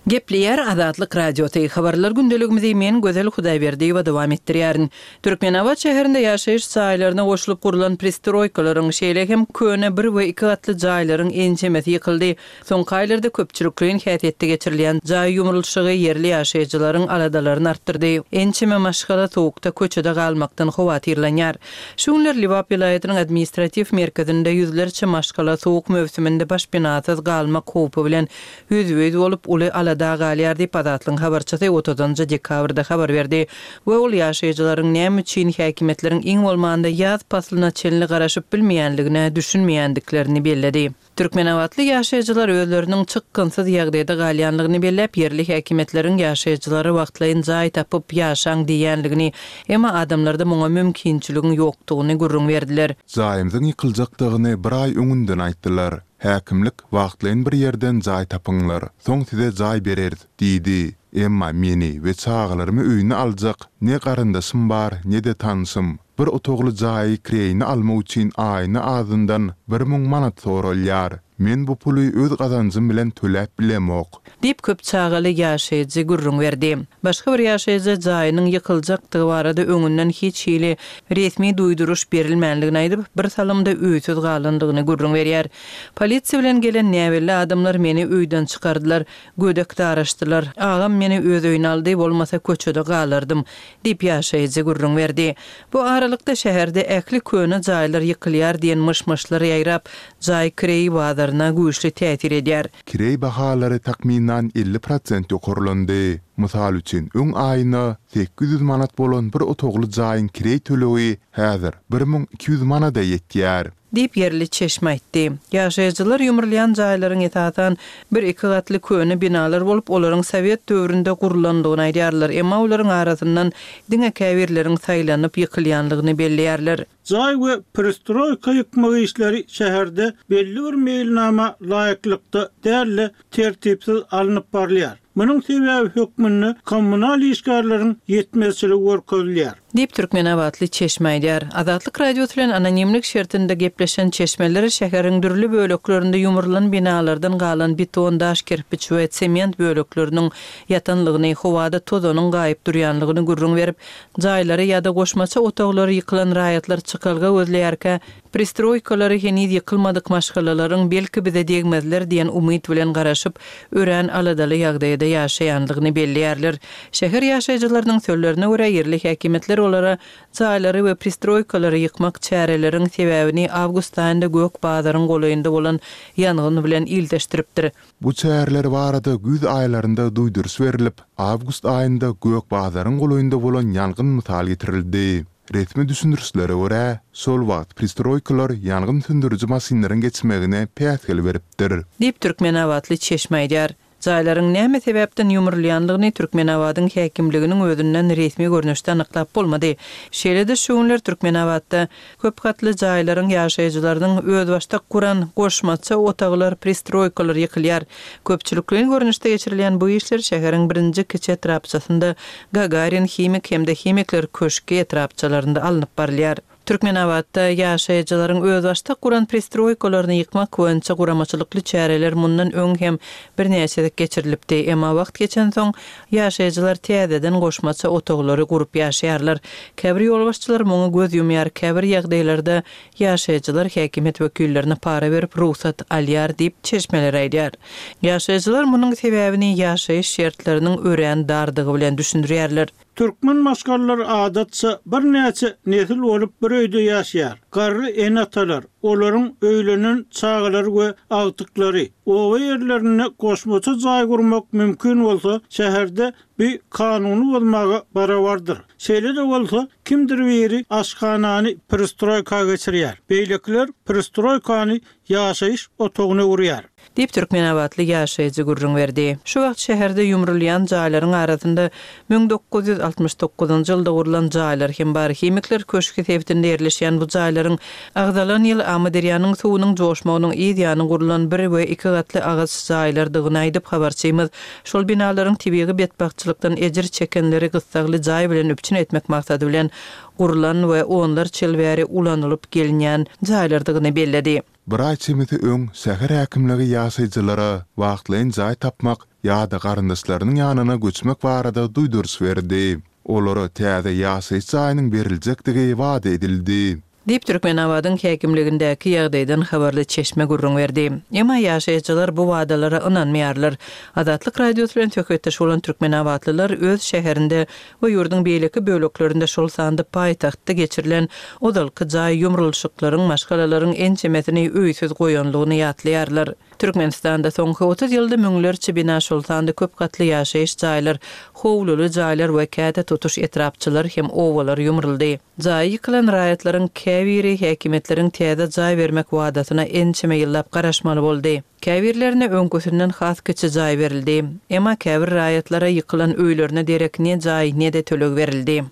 Gepleýär Azatlyk Radiosy, Habarlar gündeligimizi men Gözel Hudaýberdiýewa dowam etdirýärin. Türkmenabat şäherinde ýaşaýyş jaýlaryna goşulyp gurlan pristroýkalaryň, şeýle hem köne bir we iki gatly jaýlaryň ençemesi ýykyldy. Soňky aýlarda köpçülikleýin häsiýetde geçirilýän jaý ýumrulyşygy ýerli ýaşaýjylaryň aladalaryny artdyrdy. Ençeme maşgala sowukda köçede galmakdan howatyrlanýar. Şu günler Lebap welaýatynyň administratiw merkezinde ýüzlerçe maşgala sowuk möwsüminde başpenasyz galmak howpy bilen ýüzbe-ýüz bolup, uly alada galýar diýip, Azatlygyň habarçysy otuzynjy dekabrda habar berdi we ol ýaşaýjylaryň näme üçin häkimiýetleriň iň bolmanda ýaz paslyna çenli garaşyp bilmeýänligine düşünmeýändiklerini belledi. Türkmenabatly ýaşaýjylar özleriniň çykgynsyz ýagdaýda galýanlygyny belläp, ýerli häkimiýetleriň ýaşaýjylara wagtlaýyn jaý tapyp ýaşaň diýýänligini, emma adamlarda muňa mümkinçiligiň ýokdugyny gürrüň berdiler. Jaýymyzyň ýykyljakdygyny bir aý öňünden aýtdylar. Häkimlik, Wagtlaýyn bir ýerden jaý tapyňlar, soň size jaý bereris diýdi. Emma meni we çagalarymy öýüne aljak ne garyndaşym bar, ne-de tanşym. Bir otagly jaýy kireýine almak üçin aýyna azyndan 1000 manat soralýar. Men bu puly öz gazanjym bilen töläp bilemok. Diýip, köp çagaly ýaşaýjy gürrüň berdi. Başga bir ýaşaýjy jaýynyň ýykyljakdygy barada öňünden hiç hili resmi duýduryş berilmänligini aýdyp, bir salymda öýsüz galandygyny gürrüň berýär. Polisiýa bilen gelen näbelli adamlar meni öýden çykardylar. Gödek daraşdylar. Agam meni öz öýüne aldy, bolmasa köçede galardym. Diýip, ýaşaýjy gürrüň berdi. Bu aralykda, şäherde ähli köne jaýlar ýykylýar diýen myş-myşlar ýaýrap, jaý kireý bazaryna güýçli täsir edýär. Kireý bahalary takmynan 50 prosent ýokarlandy. Mysal üçin, öň aýyna 800 manat bolan bir otagly jaýyň kireý tölegi häzir 1200 manada ýetýär. Diýip, ýerli çeşme aýtdy. Ýaşaýjylar ýumrulýan jaýlaryň esasan bir-iki gatly köne binalar bolup, olaryň sowet döwründe gurlandygyny aýdýarlar, emma olaryň arasyndan diňe käbirleriň saýlanyp ýykylýandygyny belleýärler. Jaý we pristroýka ýykmak işleri şäherde belli bir meýilnama laýyklykda däl-de, tertipsiz alnyp barylýar. Munuň sebäbi hökmünde kommunal işgärleriň ýetmezçiligi görkezilýär. Diýip, türkmenabatly çeşme aýdýar. Azatlyk Radiosy bilen anonimlik şertinde gepleşen çeşmeler şäheriň dürli böleklerinde ýumrulan binalardan galan beton, daş kerpiç we sement bölekleriniň ýatanlygyny, howada tozanyň gaýyp durýanlygyny gürrüň berip, jaýlary ýa-da goşmaça otaglary ýykylan raýatlar çykalga gözleýärkä, Pristroýkalary heniz ýykylmadyk maşgalalaryň belki bize degmezler diýen umyt bilen garaşyp, örän aladaly ýagdaýda ýaşaýandygyny belleýärler. Şäher ýaşaýjylarynyň sözlerine görä, ýerli häkimiýetler olara jaýlary we pristroýkalary ýykmak çäreleriň sebäbini awgust aýynda Gök bazaryň golaýynda bolan ýangyn bilen ildeşdiripdir. Bu çäreler barada güýz aýlarynda duýduryş berlip, awgust aýynda Gök bazaryň golaýynda bolan ýangyn mysal getirildi. Resmi düşündirişlere görä, şol wagt pristroýkalar ýangyn söndüriji maşynlaryň geçmegine päsgel beripdir. Diýip, türkmenabatly çeşme aýdýar. Jaýlaryň näme sebäpden ýumrulýandygyny Türkmenabadyň häkimliginiň özünden resmi görnüşde anyklap bolmady. Şeýle-de şu günler Türkmenabatda köp gatly jaýlaryň ýaşaýjylarynyň özbaşdak guran goşmaça otaglar, pristroýkalar ýykylýar. Köpçülikleýin görnüşde geçirilýän bu işler şäheriň birinji kiçi etrapçasynda Gagarin, Himik hem-de Himikler köşgi etrapçalarynda alnyp barylýar. Türkmenabatda ýaşaýjylaryň özbaşdak guran pristroýkalaryny ýykmak boýunça guramaçylykly çäreler mundan öň hem birnäçe gezek geçirilipdi. Emma wagt geçensoň, ýaşaýjylar täzeden goşmaça otaglary gurup ýaşaýarlar. Käbir ýolbaşçylar muňa göz ýumýar, käbir ýagdaýlarda Ýaşaýjylar häkimiýet wekillerine para berip rugsat alýar diýip, çeşmeler aýdýar. Ýaşaýjylar munuň sebäbini ýaşaýyş şertleriniň örän dardygy bilen düşündirýärler. Türkmen maşgalalary adatça birnäçe nesil bolup bir öýde ýaşaýar. Garry ene-atalar, olaryň öýlenen çagalary we agtyklary. Oba ýerlerinde goşmaça jaý gurmak mümkin bolsa, şäherde Bu kanuny bozmaga barabardyr. Şeýle-de bolsa, kimdir biri aşhanany perestroýka geçirýär, beýlekiler perestroýkany ýaşaýyş otagyna öwürýär. Diýip, türkmenabatly ýaşaýjy gürrüň berdi. Şu wagt şäherde ýumrulýan jaýlaryň arasynda 1969-njy ýylda gurlan jaýlar hem bar. Himikler köşgi sebitinde ýerleşýän bu jaýlaryň agzalan ýyl Amyderýanyň suwunyň joşmagynyň yz ýany gurlan bir we iki gatly agaç jaýlardygyny aýdyp, habarçymyz Şol binalaryň tebigy betbagtçylykdan ejir çekenleri gyssagly jaý bilen üpjün etmek maksady bilen gurlan we onlarça ýyl bäri ulanylyp gelinýän jaýlardygyny belledi. Bir aý çemesi öň şäher häkimligi ýaşaýjylara wagtlaýyn jaý tapmak ýa-da garyndaşlarynyň ýanyna göçmek barada duýduryş berdi. Olara täze ýaşaýyş jaýynyň beriljekdigi wada edildi. Diýip, Türkmenabadyň häkimligindäki ýagdaýdan habarly çeşme gürrüň berdi. Emma ýaşaýjylar bu wadalara ynanmaýarlar. Azatlyk Radiosy bilen söhbetdeş bolan türkmenabatlylar öz şäherinde we ýurduň beýleki böleklerinde, şol sanda paýtagtda geçirilen ozalky jaý ýumrulyşyklaryň maşgalalaryň ençemesini öýsüz goýanlygyny ýatlaýarlar. Türkmenistanda soňky 30 ýylda müňlerçe bina, şol sanda köp gatly ýaşaýyş jaýlar, howluly jaýlar we käte tutuş etrapçalar hem obalar ýumruldy. Jaýy ýykylan raýatlaryň käbiri häkimiýetleriň täze jaý bermek wadasyna ençeme ýyllap garaşmaly boldy. Käbirlerine öňküsinden has kiçi jaý berildi. Emma käbir raýatlara ýykylan öýlerine derek ne jaý, ne-de töleg berildi.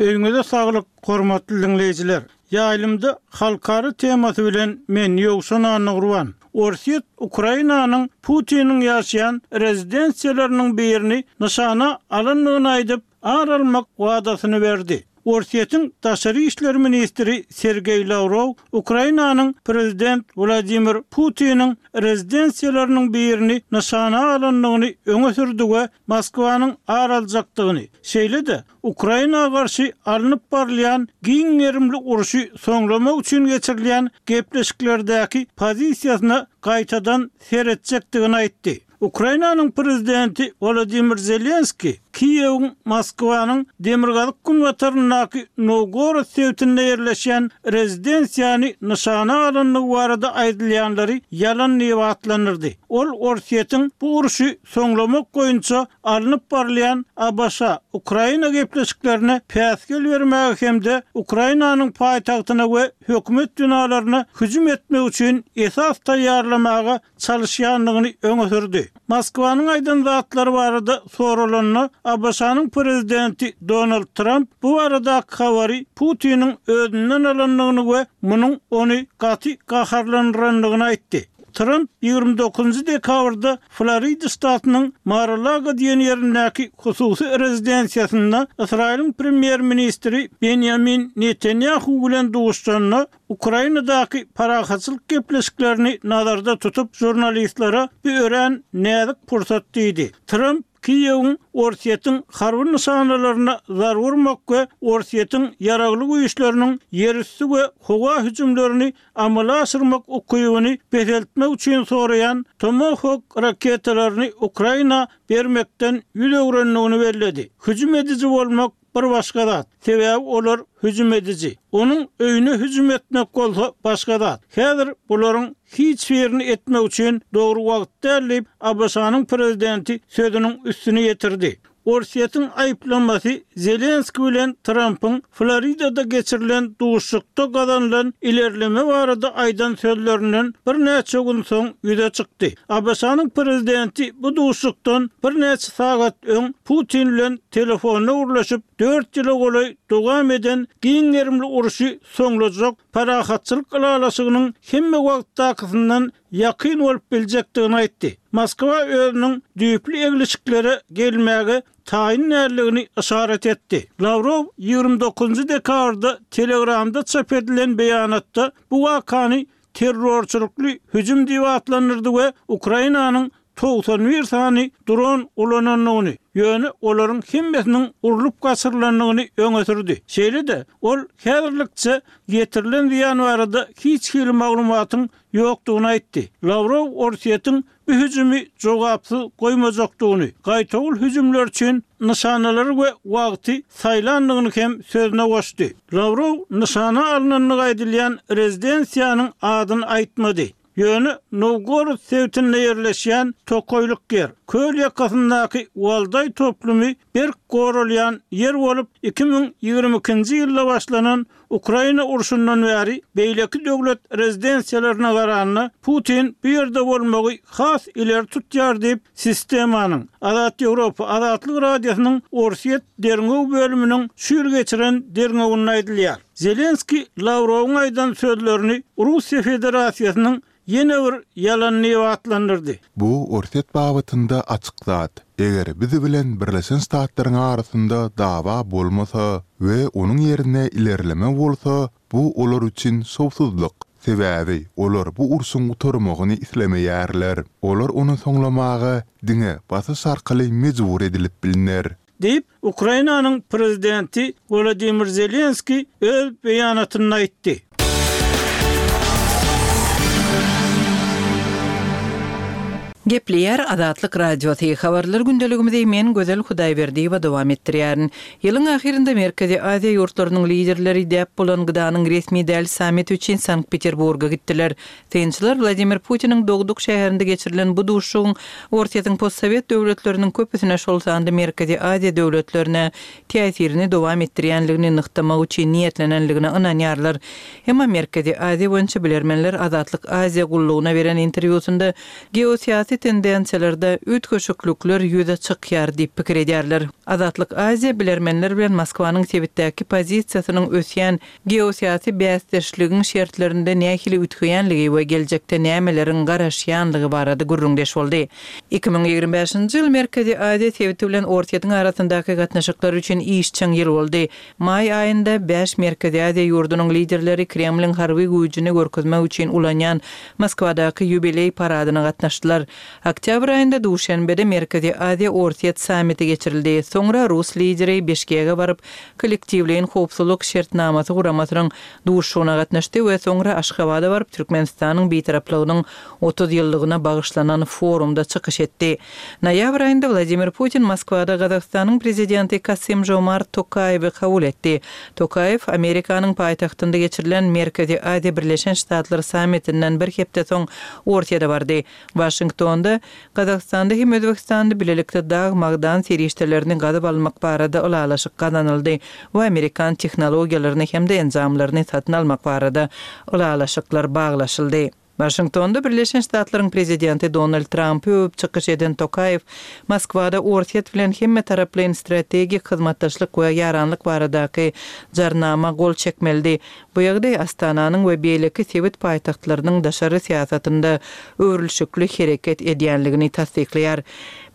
Öýüňize saglyk, hormatly diňleýjiler! Ýaýlymda halkara temasy bilen men Ýowşan Annagurban. Orsýet Ukrainanyň Putiniň ýaşaýan rezidensiýalarynyň birini nyşana alandygyny aýdyp, ar almak wadasyny berdi. Orsýetiň daşary işler ministri Sergeý Lawrow Ukrainanyň prezident Wladimir Putiniň rezidensiýalarynyň birini nyşana alandygyny öňe sürdi we Moskwanyň ar aljakdygyny, şeýle-de Ukraina garşy alnyp barylýan giň gerimli urşy soňlamak üçin geçirilýän gepleşiklerdäki pozisiýasyna gaýtadan seretjekdigini aýtdy. Ukrainanyň prezidenti Wolodymyr Zelenskiý Kiýewiň Moskwanyň demirgazyk-günbataryndaky Nowgorod sebitinde ýerleşýän rezidensiýany nyşana alandygy barada aýdylýanlary ýalan diýip atlandyrdy. Ol Orsýetiň bu urşy soňlamak boýunça alnyp barylýan ABŞ, Ukraina gepleşiklerine päsgel bermäge hem-de Ukrainanyň paýtagtyna we hökümet binalaryna hüjüm etmek üçin esas taýýarlamaga çalyşýandygyny öňe sürdi. Moskwanyň aýdan zatlary barada soralanda, ABŞ-nyň prezidenti Donald Tramp bu baradaky habary Putiniň özünden alandygyny we munuň ony gaty gaharlandyrandygyny aýtdy. Tramp 29 dekabrda Florida ştatynyň Mar-a-Lago diýen ýerindäki hususy rezidensiýasynda Ysraýylyň premýer-ministri Benýamin Netanýahu bilen duşuşanda, Ukrainadaky parahatçylyk gepleşiklerini nazarda tutup, žurnalistlere bu örän näzik pursat diýdi. Tramp Kiýewiň Orsýetiň harby nyşanalaryna zarba urmak we Orsýetiň ýaragly güýçleriniň ýerüsti we howa hüjümlerini amala aşyrmak ukybyny peseltmek üçin soraýan Tomahawk raketalaryny Ukraina bermekden ýüz öwrendigini belledi. Hüjüm ediji bolmak bir başga zat, sebäbi olar hüjüm ediji. Onuň öýüne hüjüm etmek bolsa başga zat. Häzir bularyň hiç birini etmek üçin dogry wagt däl diýip, ABŞ-nyň prezidenti sözüniň üstüni ýetirdi. Orsýetiň aýyplamasy Zelenskiý bilen Trampyň Floridada geçirilen duşuşykda gazanylan ilerleme barada aýdan sözlerinden birnäçe gün soň ýüze çykdy. ABŞ-nyň prezidenti bu duşuşykdan birnäçe sagat öň Putin bilen telefonda gürleşip, dört ýyla golaý dowam eden giň gerimli urşy soňlajak parahatçylyk ylalaşygynyň hemme wagtdakysyndan ýakyn bolup biljekdigini aýtdy. Moskwa özüniň düýpli eglişiklere gelmäge taýyn däldigini yşarat etdi. Lawrow 29 dekabrda Telegramda çap edilen beýanatda bu wakany terrorçylykly hüjüm diýip atlandyrdy we Ukrainanyň 91 sany dron ulanandygyny, ýöne olaryň hemmesiniň urlup gaçyrylandygyny öňe sürdi. Şeýle-de, ol häzirlikçe ýetirilen zyýan barada hiç hili maglumatyň ýokdugyny aýtdy. Lawrow Orsýetiň bu hüjümi jogapsyz goýmajakdygyny, gaýtawul hüjümler üçin nyşanalary we wagty saýlandygyny hem sözüne goşdy. Lawrow nyşana alnandygy aýdylýan rezidensiýanyň adyny aýtmady. Ýöne Nowgorod sebitinde ýerleşýän tokaýlyk ýer, köl ýakasyndaky Waldaý toplumy berk goralýan ýer bolup, 2022-nji ýylda başlanan Ukraina urşundan bäri beýleki döwlet rezidensiýalaryna garanda Putin bu ýerde bolmagy has ileri tutýar diýip, sistemanyň, Azat Ýewropa, Azatlyk Radiosynyň Orsýet derňew bölüminiň şu ýyl geçiren derňewinde aýdylýar. Zelenskiý Lawrowyň aýdan sözlerini Russiýa Federasiýasynyň. ýene bir ýalan diýip atlandyrdy. Bu Orsýet babatynda açyk zat. Eger biz bilen Birleşen Ştatlaryň arasynda dawa bolmasa we onuň ýerine ilerleme bolsa, bu olar üçin şowsuzlyk. Sebäbi olar bu urşuň gutarmagyny islemeýärler. Olar ony soňlamaga diňe basyş arkaly mejbur edilip bilner. Diýip, Ukrainanyň prezidenti Wolodymyr Zelenskiý öz beýanatynda aýtdy. Gepleýär Azatlyk Radiosy, Habarlar gündeligimizi men Gözel Hudaýberdiýewa dowam etdirýärin. Ýylyň ahyrynda Merkezi Aziýa ýurtlarynyň liderleri däp bolan GDA-nyň resmi däl sammiti üçin Sankt-Peterburga gitdiler. Synçylar Wladimir Putiniň dogduk şäherinde geçirilen bu duşuşygyň Orsýetiň postsowet döwletleriniň köpüsine, şol sanda Merkezi Aziýa döwletlerine täsirini dowam etdirýänligini nygtamak üçin niýetlenenligine ynanýarlar. Emma Merkezi Aziýa boýunça bilermenler Azatlyk Aziýa gullugyna beren interwýusynda geosyýasy tendensiýalarda üýtgeşiklikler ýüze çykýar diýip pikir edýärler. Azatlyk Aziýa bilermenler bilen Moskwanyň sebitdäki pozisiýasynyň ösýän Geosyýasy bäsdeşligiň şertlerinde nähili üýtgeýänligi we geljekde nämeleriň garaşýanlygy barada gürrüňdeş boldy. 2025-nji ýyl Merkezi Aziýa sebiti bilen Orsýetiň arasyndaky gatnaşyklar üçin işjeň ýyl boldy. Maý aýynda bäş Merkezi Aziýa ýurdunyň liderleri Kremliň harby güýjüni görkezmek üçin ulanýan Moskwadaky ýubileý paradyna gatnaşdylar. Oktýabr aýynda Duşenbede Merkezi Aziýa-Orsýet sammiti geçirildi. Soňra rus lideri Bişkege baryp, Kollektiwleýin howpsuzlyk şertnamasy guramasynyň duşuşygyna gatnaşdy we soňra Aşgabada baryp, Türkmenistanyň Bitaraplygynyň 30 ýyllygyna bagyşlanan forumda çykyş etdi. Noýabr aýynda Wladimir Putin Moskwada Gazagystanyň Prezidenti Kasym-Žomart Tokaýewi kabul etdi. Tokaýew Amerikanyň paýtagtynda geçirilen Merkezi Aziýa-Birleşen Ştatlar sammitinden bir hepde soň Orsýete bardy. Waşingtonda Gazagystanda hem Özbegistanda bilelikde dag-magdan serişdelerini gazyp almak barada ylalaşyk gazanyldy we amerikan tehnologiýalaryny hem-de enjamlaryny satyn almak barada ylalaşyklar baglaşyldy. Waşingtonda Birleşen Ştatlaryň prezidenti Donald Trampy öwüp çykyş eden Tokaýew Moskwada Orsýet bilen hemmetaraplaýyn strategik hyzmatdaşlyk we ýaranlyk baradaky jarnama gol çekmelidi. Bu ýagdaý Astananyň we beýleki sebit paýtagtlarynyň daşary syýasatynda öwrülişikli hereket edýänligini tassyklaýar.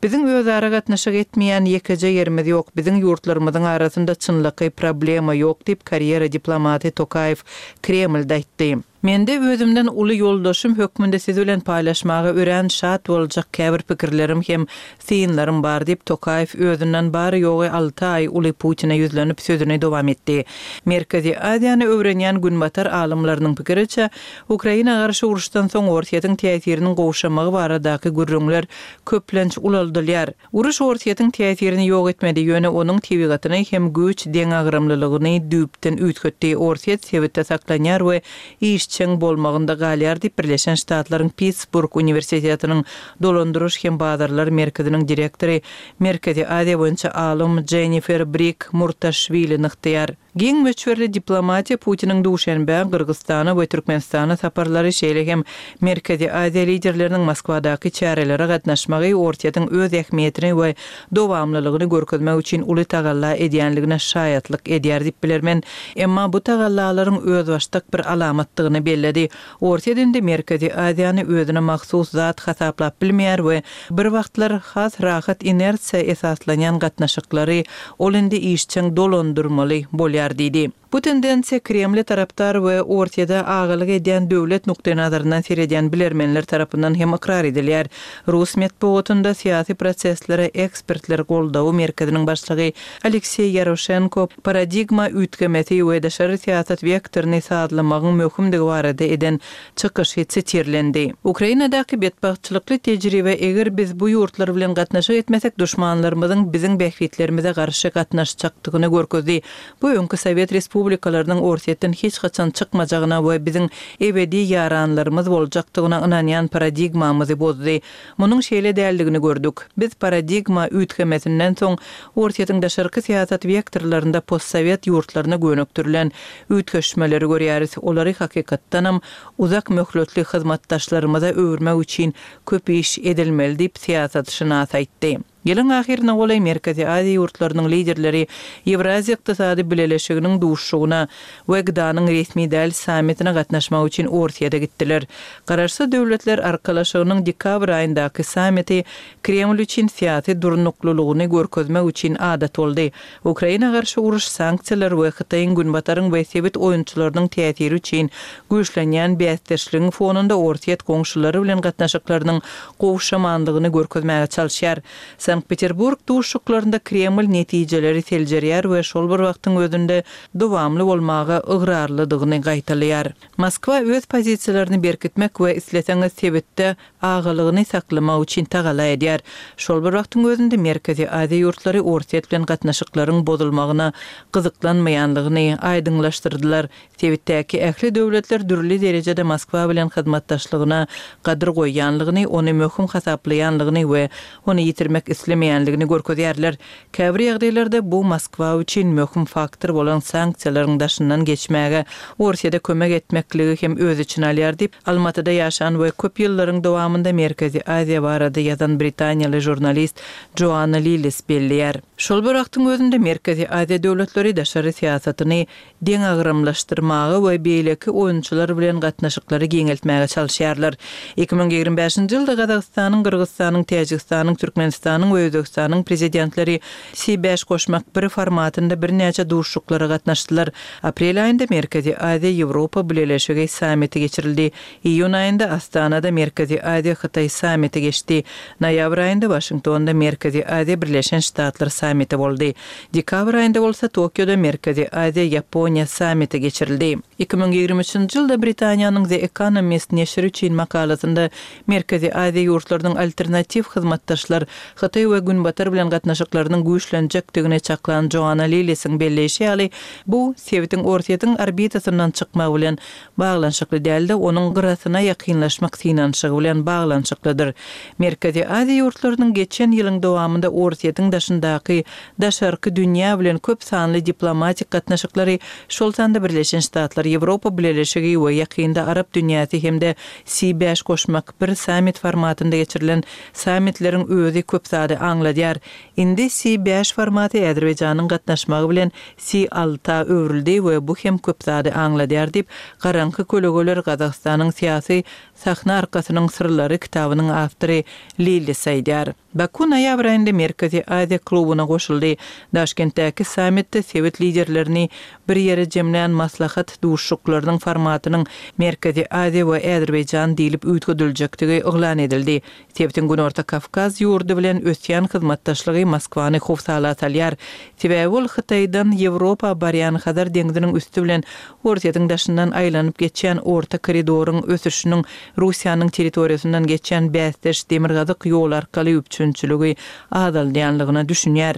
Biziň özara gatnaşyk etmeýän ýekeje ýerimiz ýok, biziň ýurtlarymyzyň arasynda çynlakaý problema ýok diýip, karýera diplomaty Tokaýew Kremlde aýtdy. Mende özümden uly ýoldaşym hökmünde siz bilen paýlaşmaga örän şat boljak käbir pikirlerim hem Synlarym bar diýip, Tokaýew özünden bary-ýogy alty aý uly Putine ýüzlenip sözüni dowam etdi. Merkezi Aziýany öwrenýän günbatar alymlarynyň pikiriçe, Ukraina garşy uruşdan soň Orsýetiň täsiriniň gowşamagy baradaky gürrüňler köplenç ulaldylýar. Uruş Orsýetiň täsirini ýok etmedi, ýöne onuň tebigatyny hem güýç deňagramlylygyny düýpden üýtgetdi. Orsýet sebitde saklanýar we işjeň bolmagynda galýar diýip, Birleşen Ştatlaryň Pittsburg uniwersitetiniň Dolandyryş hem bazarlar merkeziniň direktory, Merkezi Aziýa boýunça alym Jennifer Brik Murtaşwili nygtaýar. Giň möçberli diplomatiýa Putiniň Duşenbä, Gyrgyzystana we Türkmenistana saparlary, şeýle hem Merkezi Aziýa liderleriniň Moskwadaky çärelere gatnaşmagy Orsýetiň öz ähmiýetini we dowamlylygyny görkezmek üçin uly tagalla edýänligine şaýatlyk edýär diýip bilermen. Emma bu tagallalaryň özbaşdak bir alamatdygyny belledi. Orsýet indi Merkezi Aziýany özüne mahsus zat hasaplap bilmeýär we bir wagtlar has rahat inersiýa esaslanýan gatnaşyklary ol indi işjeň dolandyrmaly bolýar diýdi. Bu tendensiýa Kremle tarapdar we Orsýede agalyk edýän döwlet nukdaýnazaryndan seredýän bilermenler tarapyndan hem ykrar edilýär. Rus metbugatynda syýasy proseslere ekspertler goldawy merkeziniň başlygy Alekseý Ýaroşenko paradigma üýtgemesi we daşary syýasat wektoryny sazlamagyň möhümdigi barada eden çykyşy sitirlendi. Ukrainadaky betbagtçylykly tejribe eger biz bu ýurtlar bilen gatnaşyk etmesek duşmanlarymyzyň biziň bähbitlerimize garşy gatnaşjakdygyny görkezdi. Bu öňki sowet respublikalarynyň Orsýetden hiç haçan çykmajagyna we biziň ebedi ýaranlarymyz boljakdygyna ynanýan paradigmamyzy bozdy. Munuň şeýle däldigini gördük. Biz paradigma üýtgemesinden soň Orsýetiň daşarky syýasat wektorlarynda postsowet ýurtlaryna gönükdirilen üýtgeşmeleri görýäris. Olary hakykatdanam uzak möhletli hyzmatdaşlarymyza öwürmek üçin köp iş edilmeli diýip, syýasatşynas aýtdy. Ýylyň ahyryna golaý Merkezi Aziýa ýurtlarynyň liderleri Ýewraziýa Ykdysady Bileleşiginiň duşuşygyna we GDA-nyň resmi däl sammitine gatnaşmak üçin Orsýete gitdiler. Garaşsyz Döwletler Arkalaşygynyň dekabr aýyndaky sammiti Kreml üçin syýasy durnuklylygyny görkezmek üçin adat boldy. Ukraina garşy uruş, sanksiýalar we Hytaýyň Günbataryň we sebit oýunçylarynyň täsiri üçin güýçlenýän bäsdeşligiň fonunda Orsýet goňşulary bilen gatnaşyklarynyň gowşamandygyny görkezmäge çalyşýar. Sankt-Peterburg duşuşyklarynda Kreml netijeleri seljerýär we şol bir wagtyň özünde dowamly bolmaga ygrarlydygyny gaýtalaýar. Moskwa öz pozisiýalaryny berkitmek we isleseňiz sebitde agalygyny saklamak üçin tagalla edýär. Şol bir wagtyň özünde Merkezi Aziýa ýurtlary Orsýet bilen gatnaşyklaryň bozulmagyna gyzyklanmaýanlygyny aýdyňlaşdyrdylar. Sebitdäki ähli döwletler dürli derejede Moskwa bilen hyzmatdaşlygyna gadyr goýýanlygyny, ony möhüm hasaplaýanlygyny we ony ýitirmek islemeýänligini görkezýärler. Käbir ýagdaýlarda bu Moskwa üçin möhüm faktor bolan sanksiýalaryň daşyndan geçmäge Orsýete kömek etmekligi hem öz içine alýar diýip, Almatyda ýaşan we köp ýyllaryň dowamynda Merkezi Aziýa barada ýazan britaniýaly žurnalist Joanna Lillis belleýär. Şol bir wagtyň özünde Merkezi Aziýa döwletleri daşary syýasatyny deňagramlaşdyrmaga we beýleki oýunçylar bilen gatnaşyklary giňeltmäge çalyşýarlar. 2025-nji ýylda Gazagystanyň, Gyrgyzystanyň, Täjigistanyň, Türkmenistanyň we Özbegistanyň Prezidentleri Si bäş goşmak bir formatynda birnäçe duşuşyklara gatnaşdylar. Aprel aýynda Merkezi Aziýa-Ýewropa Bileleşigi sammiti geçirildi. Iýun aýynda Astanada Merkezi Aziýa-Hytaý sammiti geçdi. Noýabr aýynda Waşingtonda Merkezi Aziýa-Birleşen Ştatlar sammiti boldy. Dekabr aýynda bolsa Tokioda Merkezi Aziýa-Ýaponiýa sammiti geçirildi. 2023-nji ýylda Britaniýanyň The Economist neşiri üçin makalasynda Merkezi Aziýa ýurtlarynyň alternatiw hyzmatdaşlar, Hytaý we Günbatar bilen gatnaşyklarynyň güýçlenjekdigini çaklan Joanna Lillisiň belleýşi ýaly, bu, sebitiň Orsýetiň orbitasyndan çykmagy bilen baglanyşykly däl-de, onuň gyrasyna ýakynlaşmak synanyşygy bilen baglanyşyklydyr. Merkezi Aziýa ýurtlarynyň geçen ýylyň dowamynda Orsýetiň daşyndaky daşarky dünýä bilen köp sanly diplomatik gatnaşyklary, şol sanda Birleşen Ştatlar, Ýewropa Bileleşigi we ýakynda arap dünýäsi hem-de Si bäş goşmak bir sammit formatynda geçirilen sammitleriň özi köp zady aňladýar. Indi Si bäş formaty Azerbaýjanyň gatnaşmagy bilen Si alta öwrüldi we bu hem köp zady aňladýar diýip, Garaňky kölegeler, Gazagystanyň syýasy sahna arkasynyň syrlary kitabynyň awtory Lillis aýdýar. Baku noýabr aýynda Merkezi Aziýa klubyna goşuldy. Daşkentdäki sammitde sebit liderlerini bir ýere jemlän maslahat duşuşyklarynyň formatynyň Merkezi Aziýa we Azerbaýjan diýlip üýtgediljekdigi yglan edildi. Sebitiň Günorta Kawkaz ýurdy bilen ösýän hyzmatdaşlygy Moskwany howsala salýar. Sebäbi ol Hytaýdan Ýewropa barýan Hazar deňziniň üsti bilen Orsýetiň daşyndan aýlanyp geçýän Orta koridoryň ösüşiniň Russiýanyň territoriýasyndan geçýän bäsdeş Demirgazyk ýoly arkaly üpjünçiligi azaldýanlygyna düşünýär.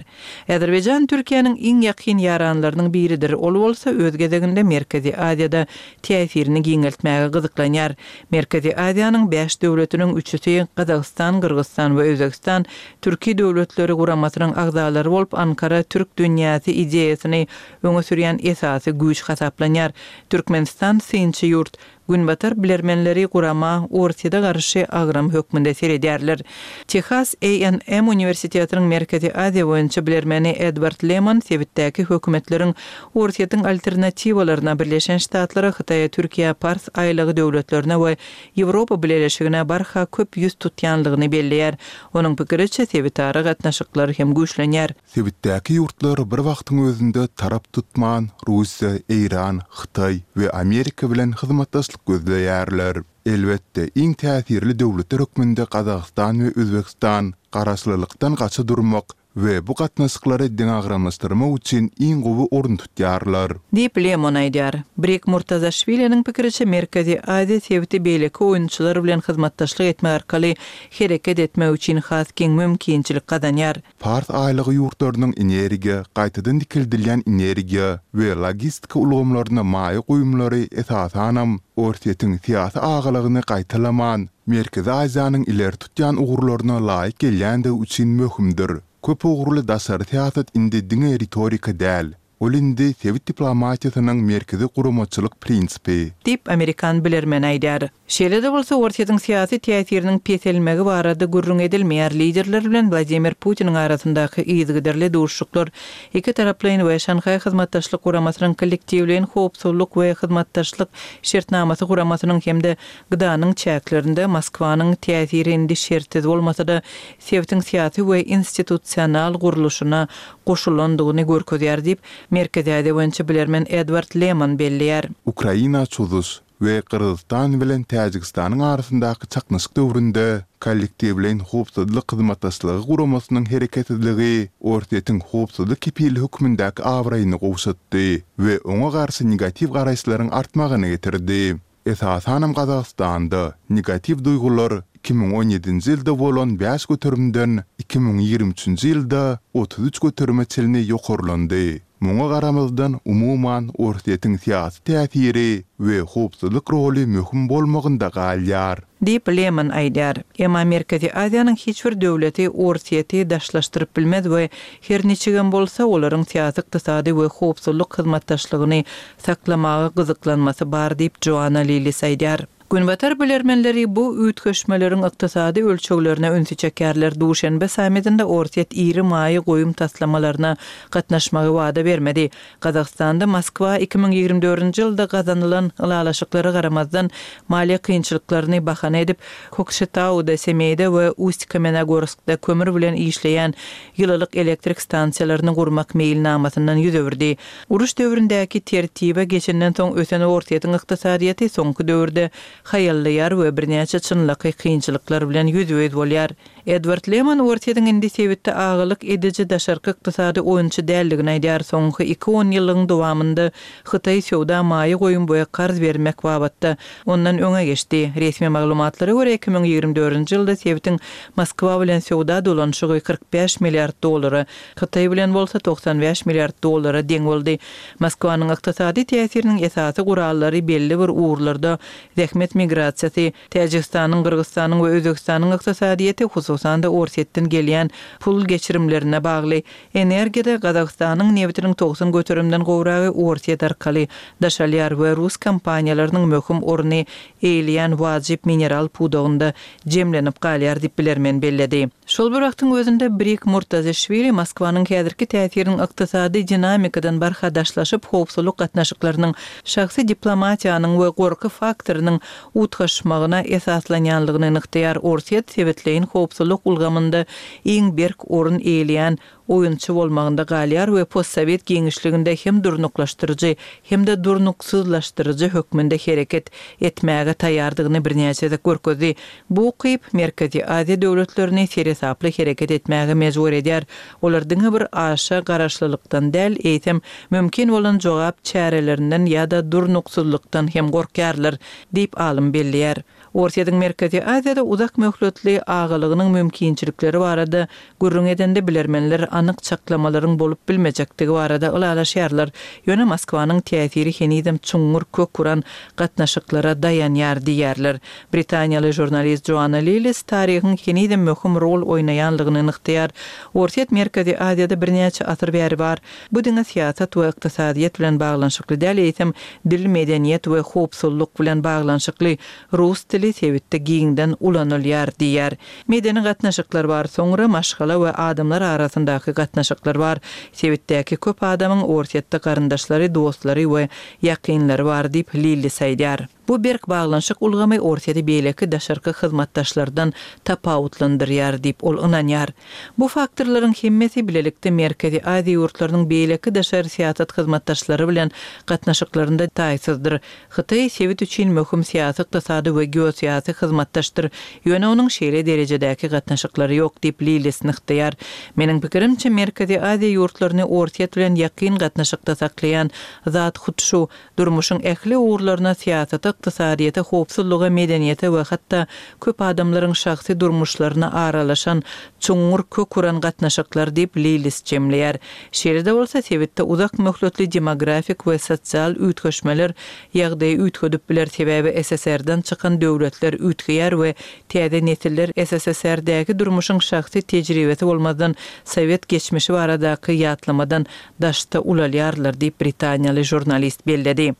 Azerbaýjan Türkiýäniň iň ýakyn ýaranlarynyň biridir, ol bolsa öz gezeginde Merkezi Aziýada täsirini giňeltmäge gyzyklanýar. Merkezi Aziýanyň bäş döwletiniň üçüsi, Gazagystan, Gyrgyzystan we Özbegistan Türki döwletleri guramasynyň agzalary bolup, Ankara türk dünýäsi ideýasyny öňe sürýän esasy güýç hasaplanýar. Türkmenistan synçy ýurt. Günbatar bilermenleri gurama Orsýete garşy agram hökmünde seredýärler. Tehas A&M uniwersitetiniň Merkezi Aziýa boýunça bilermeni Edward Lemon sebitdäki hökümetleriň Orsýetiň alternatiwalaryna, Birleşen Ştatlara, Hytaýa, Türkiýä, Pars aýlagy döwletlerine we Ýewropa Bileleşigine barha köp ýüz tutýanlygyny belleýär. Onuň pikiriçe, sebitara gatnaşyklar hem güýçlenýär. Sebitdäki ýurtlar bir wagtyň özünde tarap tutman, Russiýa, Eýran, Hytaý we Amerika bilen hyzmatdaşlyk gözleýärler. Elbetde, iň täsirli döwletler hökmünde Gazagystan we Özbegistan garaşlylykdan gaça durmak we bu gatnaşyklary deňagramlaşdyrmak üçin iň gowy orun tutýarlar. Diýip, Lemon aýdýar. Brik Murtazaşwiliniň pikiriçe, Merkezi Aziýa sebiti beýleki oýunçylar bilen hyzmatdaşlyk etmek arkaly hereket etmek üçin has giň mümkinçilik gazanýar. Pars aýlagy ýurtlarynyň energiýa, gaýtadan dikeldilýän energiýa we logistika ulgamlaryna maýa goýumlary esasanam Orsýetiň syýasy agalygyny gaýtalaman, Merkezi Aziýanyň ileri tutýan ugurlaryna laýyk gelýändigi üçin möhümdir. Köp ugurly daşary syýasat indi diňe ritorika däl, ol indi sebit diplomatiýasynyň merkezi guramaçylyk prinsipi. Diýip, amerikan bilermeni aýdýar. Şeýle-de bolsa, Orsýetiň syýasy täsiriniň peselmegi barada gürrüň edilmeýär, liderler bilen Wladimir Putiniň arasyndaky yzygiderli duşuşyklar ikitaraplaýyn we Şanhaý Hyzmatdaşlyk Guramasynyň Kollektiwleýin howpsuzlyk we hyzmatdaşlyk şertnamasy guramasynyň hem-de GDA-nyň çäklerinde Moskwanyň täsiri indi şertsiz bolmasa-da, sebitiň syýasy we institusional gurluşyna goşulandygyny görkezýär diýip, Merkezi Aziýa boýunça bilermen Edward Leman belleýär. Ukraina çozuş we Gyrgyzystan bilen Täjigistanyň arasyndaky çaknyşyk döwründe Kollektiwleýin howpsuzlyk hyzmatdaşlygy guramasynyň hereketsizligi Orsýetiň howpsuzlyk kepili hökmündäki abraýyny gowşatdy we oňa garşy negatiw garaýyşlaryň artmagyna getirdi. Esasanam Gazagystanda negatiw duýgular 2017-nji ýylda bolan bäş göterimden 2023-nji ýylda 33 göterime çenli ýokarlandy. Muňa garamazdan, umuman, Orsýetiň syýasy täsiri we howpsuzlyk roly möhüm bolmagynda galýar. Diýip, Leman aýdýar. Emma Merkezi Aziýanyň hiç bir döwleti Orsýeti daşlaşdyryp bilmez we her niçigem bolsa, olaryň syýasy-ykdysady we howpsuzlyk hyzmatdaşlygyny saklamaga gyzyklanmasy bar diýip, Joanna Lillis aýdýar. Günbatar bilermenleri bu üýtgeşmeleriň ykdysady ölçeglerine ünsi çekýärler. Duşenbe sammitinde Orsýet iri maýa goýum taslamalaryna gatnaşmagy wada bermedi. Gazagystanda Moskwa 2024-nji ýylda gazanylan ylalaşyklara garamazdan, maliýe kynçylyklaryny bahana edip, Kokşetauda, Semeýde we Ust-Kamenogorskda kömür bilen işleýän ýylylyk elektrik stansiýalaryny gurmak meýilnamasyndan ýüz öwürdi. Uruş döwründäki tertibe geçenden soň ösen Orsýetiň ykdysadyýeti soňky döwürde haýallaýar we birnäçe çynlakaý kynçylyklar bilen ýüzbe-ýüz bolýar. Edward Leman Orsýetiň indi sebitde agalyk ediji daşarky ykdysady oýunçy däldigini aýdýar, soňky iki onýyllygyň dowamynda Hytaý söwda, maýa goýum we karz bermek babatda ondan öňe geçdi. Resmi maglumatlara görä, 2024-nji ýylda sebitiň Moskwa bilen söwda dolanyşygy 45 milliard dollara, Hytaý bilen bolsa 95 milliard dollara deň boldy. Moskwanyň ykdysady täsiriniň esasy gurallary belli bir ugurlarda zähmet migrasiýasy, Täjigistanyň, Gyrgyzystanyň we Özbegistanyň ykdysadyýeti, hususan-da Orsýetden gelýän pul geçirimlerine bagly. Energiýada Gazagystanyň nebitiniň 90 göterimden gowragy Orsýet arkaly daşalýar we rus kompaniýalarynyň möhüm orny eýeleýän wajyp mineral pudagynda jemlenip galýar diýip bilermen belledi. Şol bir wagtyň özünde Brik Murtazişwili Moskwanyň häzirki täsiriniň ykdysady dinamikadan barha daşlaşyp, howpsuzlyk gatnaşyklarynyň, şahsy diplomatiýanyň we gorky faktorynyň utgaşmagyna esaslanýanlygyny nygtaýar. Orsýet sebitleýin howpsuzlyk ulgamynda iň berk orun eýeleýän oýunçy bolmagynda galýar we postsowet giňişliginde hem durnuklaşdyryjy, hem-de durnuksyzlaşdyryjy hökmünde hereket etmäge taýýardygyny birnäçe gezek görkezdi. Bu ukyp Merkezi Aziýa döwletlerini seresaply hereket etmäge mejbur edýär. Olar diňe bir aşa garaşlylykdan däl, eýsem, mümkin bolan jogap çärelerinden ýa-da durnuksyzlykdan hem gorkýarlar, diýip alym belleýär. Orsýetiň Merkezi Aziýada uzak möhletli agalygynyň mümkinçilikleri barada gürrüň edende bilermenler anyk çaklamalaryň bolup bilmejekdigi barada ylalaşýarlar, ýöne Moskwanyň täsiri henizem çuňňur kök uran gatnaşyklara daýanýar diýýärler. Britaniýaly žurnalist Joanna Lillis taryhyň henizem möhüm rol oýnaýanlygyny nygtaýar. Orsýet Merkezi Aziýada birnäçe asyr bäri bar. Bu diňe syýasat we ykdysadyýet bilen baglanyşykly däl, eýsem, dil, medeniýet we howpsuzlyk bilen baglanyşykly. Rus dili sebitde giňden ulanylýar diýýär. Medeni gatnaşyklar bar, soňra maşgala we adamlar arasyndaky gatnaşyklar bar. Sebitdäki köp adamyň Orsýetde garyndaşlary, dostlary we ýakynlary bar diýip, Lillis aýdýar. Bu berk baglanyşyk ulgamy Orsýeti beýleki daşarky hyzmatdaşlardan tapawutlandyrýar diýip, ol ynanýar. Bu faktorlaryň hemmesi bilelikde Merkezi Aziýa ýurtlarynyň beýleki daşary syýasat hyzmatdaşlary bilen gatnaşyklarynda taýsyzdyr. Hytaý sebit üçin möhüm syýasy-ykdysady we geosyýasy hyzmatdaşdyr, ýöne onuň şeýle derejedäki gatnaşyklary ýok diýip, Lillis nygtaýar. Meniň pikirimçe, Merkezi Aziýa ýurtlaryny Orsýet bilen ýakyn gatnaşykda saklaýan zat hut şu, Durmuşyň ähli ugurlaryna, syýasata, ykdysadyýete, howpsuzlyga, medeniýete we hatda köp adamlaryň şahsy durmuşlaryna aralaşan çuňňur kök uran gatnaşyklar diýip, Lillis jemleýär. Şeýle-de bolsa, sebitde uzak möhletli demografik we sosial üýtgeşmeler ýagdaýy üýtgedip biler, sebäbi SSR-den çykan döwletler üýtgeýär we täze nesiller SSSR-däki durmuşyň şahsy tejribesi bolmazdan sowet geçmişi baradaky ýatlamadan daşda ulalýarlar diýip, britaniýaly žurnalist belledi.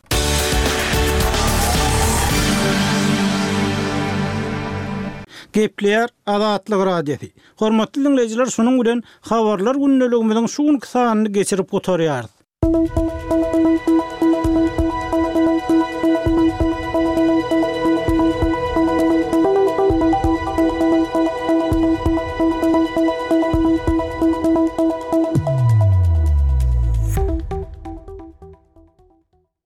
Gepleýär Azatlyk Radiosy. Hormatly diňleýjiler şunuň bilen Habarlar gündeligimiziň şu günki sanyny geçirip gutarýarys.